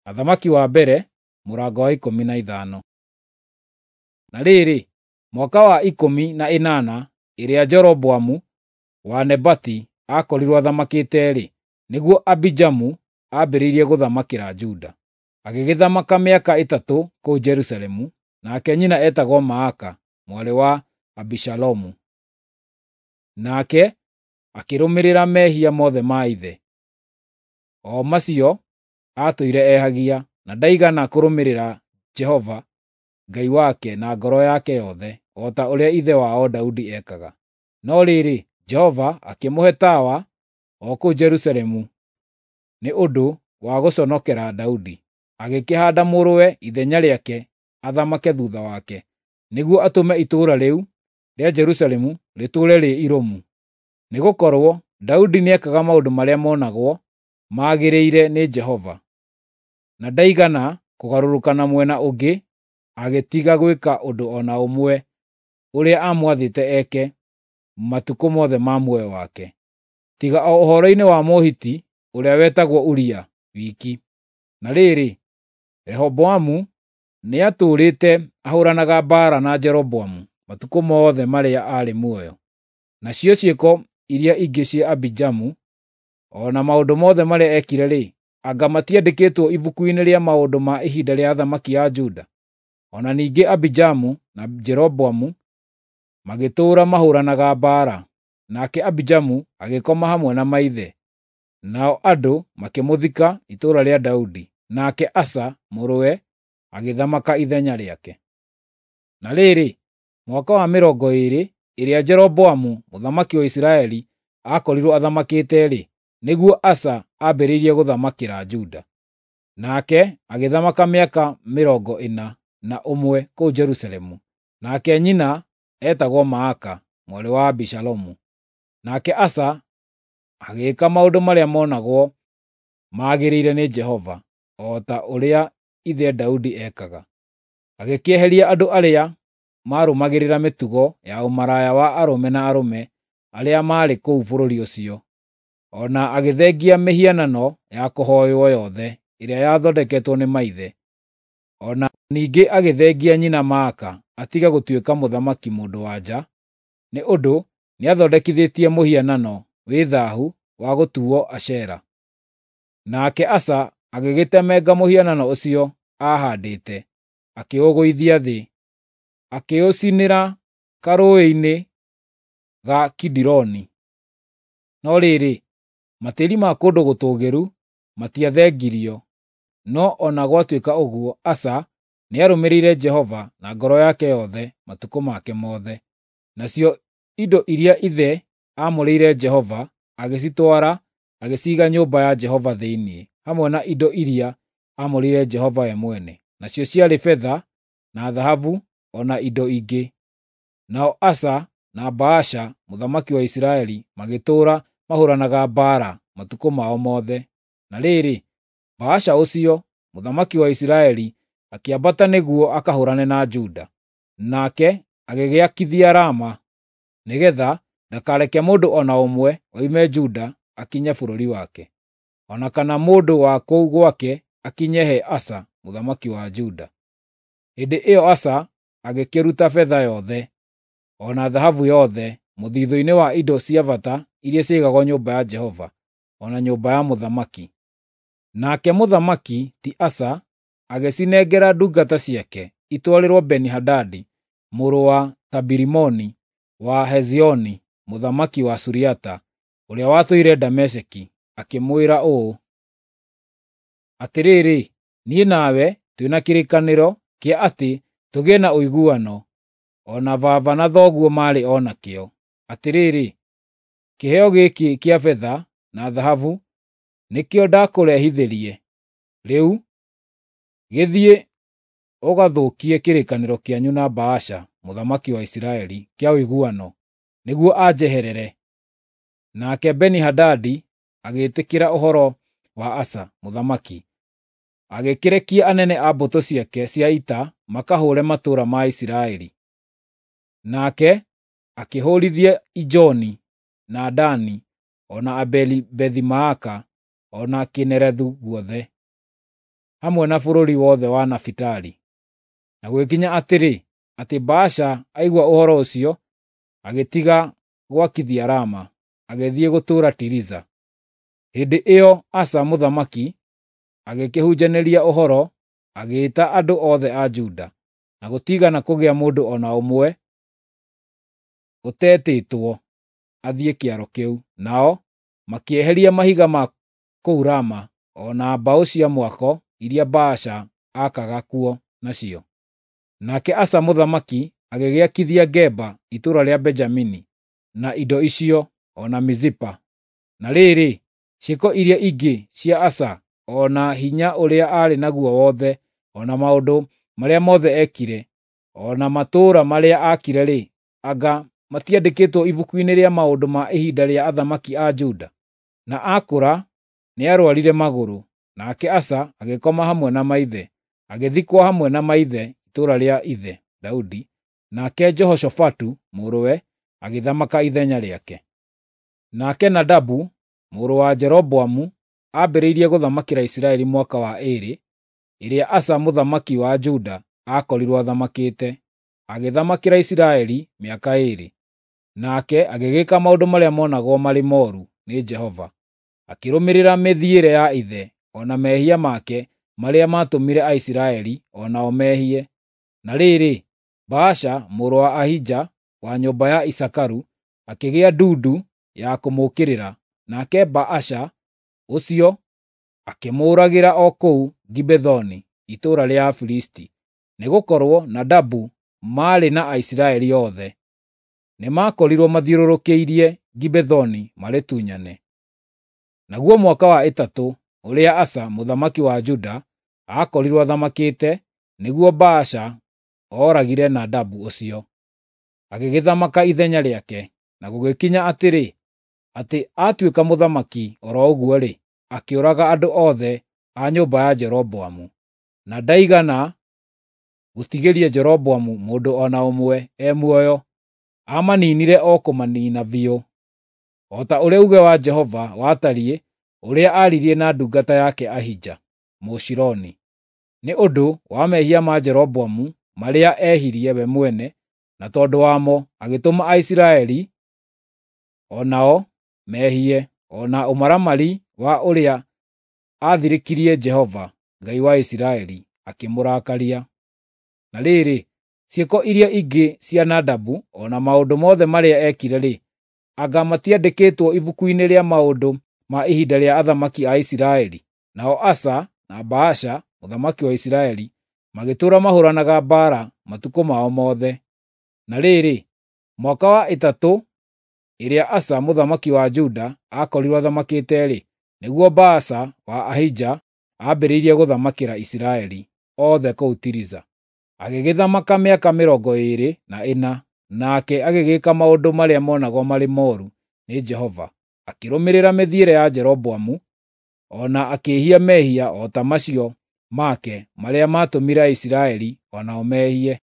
Athamaki wa mbere mũrango wa 15. Na rĩrĩ, mwaka wa 18 ĩrĩa Jeroboamu wa Nebati aakorirwo athamakĩte-rĩ, nĩguo Abijamu aambĩrĩirie gũthamakĩra Juda. Agĩgĩthamaka mĩaka 3 kũu Jerusalemu, nake nyina eetagwo Maaka mwarĩ wa Abishalomu. Nake akĩrũmĩrĩra mehia mothe ma ithe, o macio aatũire ehagia, na ndaigana kũrũmĩrĩra Jehova Ngai wake na ngoro yake yothe, o ta ũrĩa ithe wao Daudi ekaga. No rĩrĩ, Jehova akĩmũhe tawa o kũu Jerusalemu nĩ ũndũ wa gũconokera Daudi, agĩkĩhaanda mũrũwe ithenya rĩake athamake thuutha wake, nĩguo atũme itũũra rĩu rĩa Jerusalemu rĩtũũre rĩ irũmu. Nĩgũkorwo Daudi nĩekaga maũndũ marĩa monagwo magĩrĩire nĩ Jehova, na ndaigana kũgarũrũka na mwena ũngĩ agĩtiga gwĩka ũndũ o na ũmwe ũrĩa aamwathĩte eke matukũ mothe ma muoyo wake, tiga o ũhoro-inĩ wa Mũhiti ũrĩa wetagwo Uria wiki. Na rĩrĩ, Rehoboamu nĩatũũrĩte ahũũranaga mbaara na Jeroboamu matukũ mothe marĩa aarĩ muoyo. Nacio ciĩko iria ingĩ cia Abijamu, o na maũndũ mothe marĩa eekire-rĩ, anga matiandĩkĩtwo ibuku-inĩ rĩa maũndũ ma ihinda rĩa athamaki a Juda? O na ningĩ Abijamu na Jeroboamu magĩtũũra mahũũranaga mbaara. Nake Abijamu agĩkoma hamwe na maithe, nao andũ makĩmũthika itũũra rĩa Daudi. Nake Asa mũrũwe agĩthamaka ithenya rĩake. Na rĩrĩ, mwaka wa 20 ĩrĩa Jeroboamu mũthamaki wa Isiraeli aakorirwo athamakĩte-rĩ, nĩguo Asa aambĩrĩirie gũthamakĩra Juda. Nake agĩthamaka mĩaka 41 kũu Jerusalemu. Nake nyina eetagwo Maaka mwarĩ wa Abishalomu. Nake Asa agĩĩka maũndũ marĩa monagwo magĩrĩire nĩ Jehova, o ta ũrĩa ithe Daudi ekaga. Agĩkĩeheria andũ arĩa maarũmagĩrĩra mĩtugo ya ũmaraya wa arũme na arũme arĩa maarĩ kũu bũrũri ũcio. O na agĩthengia mĩhianano ya kũhooywo yothe ĩrĩa yathondeketwo nĩ maithe. O na ningĩ agĩthengia nyina Maaka atige gũtuĩka mũthamaki mũndũ-wa-nja, nĩ ũndũ nĩathondekithĩtie mũhianano wĩ thaahu wa gũtuuo Ashera. Nake Asa agĩgĩtemenga mũhianano ũcio aahaandĩte, akĩũgũithia thĩ, akĩũcinĩra karũũĩ-inĩ ga Kidironi. No rĩrĩ, matĩĩri ma kũndũ gũtũũgĩru matiathengirio, no o na gwatuĩka ũguo, Asa nĩarũmĩrĩire Jehova na ngoro yake yothe matukũ make mothe. Nacio indo iria ithe aamũrĩire Jehova agĩcitwara agĩciiga nyũmba ya Jehova thĩinĩ, hamwe na indo iria aamũrĩire Jehova we mwene, nacio ciarĩ betha na thahabu o na indo ingĩ. Nao Asa na Baasha mũthamaki wa Isiraeli magĩtũũra mahũũranaga mbaara matukũ mao mothe. Na rĩrĩ, Baasha ũcio, mũthamaki wa Isiraeli, akĩambata nĩguo akahũũrane na Juda. Nake agĩgĩakithia Rama, nĩgeetha ndakareke mũndũ o na ũmwe oime Juda akinye bũrũri wake, o na kana mũndũ wa kũu gwake akinye he Asa mũthamaki wa Juda. Hĩndĩ ĩyo Asa agĩkĩruta betha yothe, o na thahabu yothe mũthithũ-inĩ wa indo cia bata iria ciaigagwo nyũmba ya Jehova, o na nyũmba ya mũthamaki. Nake mũthamaki ti Asa agĩcinengera ndungata ciake itwarĩrwo Beni-Hadadi mũrũ wa Tabirimoni wa Hezioni mũthamaki wa Suriata, ũrĩa watũire Dameski, akĩmwĩra ũũ: “Atĩrĩrĩ, niĩ nawe twĩ na kĩrĩkanĩro kĩa atĩ tũgĩe na ũiguano, o na baba na thoguo maarĩ o nakĩo. Atĩrĩrĩ, kĩheo gĩkĩ kĩa betha na thahabu nĩkĩo ndakũrehithĩrie. Rĩu gĩthiĩ ũgathũkie kĩrĩkanĩro kĩanyu na Baasha mũthamaki wa Isiraeli kĩa ũiguano, nĩguo anjeherere.” Nake Beni-Hadadi agĩĩtĩkĩra ũhoro wa Asa mũthamaki, agĩkĩrekia anene a mbũtũ ciake cia ita makahũũre matũũra ma Isiraeli. Nake akĩhũũrithia Ijoni, na Dani, o na Abeli-Bethi-Maaka, o na Kinerethu guothe. hamwe na bũrũri wothe wa Nafitali. Na gũgĩkinya atĩrĩ, atĩ Baasha aigua ũhoro ũcio, agĩtiga gwakithia Rama, agĩthiĩ gũtũũra Tiriza. Hĩndĩ ĩyo Asa mũthamaki agĩkĩhunjanĩria ũhoro, agĩĩta andũ othe a Juda, na gũtiigana kũgĩa mũndũ o na ũmwe ũtetĩtwo athiĩ kĩaro kĩu. Nao makĩeheria mahiga ma kũu Rama o na mbaũ cia mwako iria Baasha aakaga kuo nacio. Nake Asa mũthamaki agĩgĩakithia Geba itũũra rĩa Benjamini na indo icio, o na Mizipa. Na rĩrĩ, ciĩko iria ingĩ cia Asa, o na hinya ũrĩa aarĩ naguo wothe, o na maũndũ marĩa mothe eekire, o na matũũra marĩa aakire-rĩ, anga matiandĩkĩtwo ibuku-inĩ rĩa maũndũ ma ihinda rĩa athamaki a Juda? Na aakũra nĩarũarire magũrũ, nake Asa agĩkoma hamwe na maithe, agĩthikwo hamwe na maithe itũũra rĩa ithe Daudi, nake Jehoshafatu mũrũwe agĩthamaka ithenya rĩake. Nake Nadabu mũrũ wa Jeroboamu aambĩrĩirie gũthamakĩra Isiraeli mwaka wa 2 ĩrĩa Asa mũthamaki wa Juda aakorirwo athamakĩte, agĩthamakĩra Isiraeli mĩaka 2. Nake agĩgĩka maũndũ marĩa monagwo marĩ mooru nĩ Jehova, akĩrũmĩrĩra mĩthiĩre ya ithe o na mehia make marĩa maatũmire Aisiraeli o nao mehie. Na rĩrĩ, Baasha mũrũ wa Ahija wa nyũmba ya Isakaru akĩgĩa ndundu ya kũmũũkĩrĩra, nake Baasha ũcio akĩmũũragĩra o kũu Gibethoni, itũũra rĩa Afilisti, nĩgũkorwo Nadabu maarĩ na Aisiraeli othe. Nĩmakorirwo mathiũrũrũkĩirie Gibethoni marĩtunyane. Naguo mwaka wa 3 ũrĩa Asa mũthamaki wa Juda aakorirwo athamakĩte, nĩguo Baasha ooragire Nadabu ũcio, agĩgĩthamaka ithenya rĩake. Na gũgĩkinya atĩrĩ, atĩ aatuĩka mũthamaki o ro ũguo-rĩ, akĩũraga andũ othe a nyũmba ya Jeroboamu, na ndaigana gũtigĩria Jeroboamu mũndũ o na ũmwe e muoyo, aamaniinire o kũmaniina biũ, o ta ũrĩa uuge wa Jehova watariĩ ũrĩa aaririe na ndungata yake Ahija Mũshiloni, nĩ ũndũ wa mehia ma Jeroboamu marĩa ehirie we mwene, na tondũ wamo agĩtũma Aisiraeli o nao mehie, o na ũmaramari wa ũrĩa aathirĩkirie Jehova, Ngai wa Isiraeli, akĩmũrakaria. Na rĩrĩ, ciĩko iria ingĩ cia Nadabu, o na maũndũ mothe marĩa eekire-rĩ, anga matiandĩkĩtwo ibuku-inĩ rĩa maũndũ ma ihinda rĩa athamaki a Isiraeli? Nao Asa na Baasha mũthamaki wa Isiraeli magĩtũũra mahũũranaga mbaara matukũ mao mothe. Na rĩrĩ, mwaka wa 3 ĩrĩa Asa mũthamaki wa Juda aakorirwo athamakĩte-rĩ, nĩguo Baasha wa Ahija aambĩrĩirie gũthamakĩra Isiraeli othe kũu Tiriza. Agĩgĩthamaka mĩaka 24, nake agĩgĩka maũndũ marĩa monagwo marĩ mooru nĩ Jehova, akĩrũmĩrĩra mĩthiĩre ya Jeroboamu, o na akĩĩhia mehia o ta macio make marĩa maatũmire Aisiraeli o nao mehie.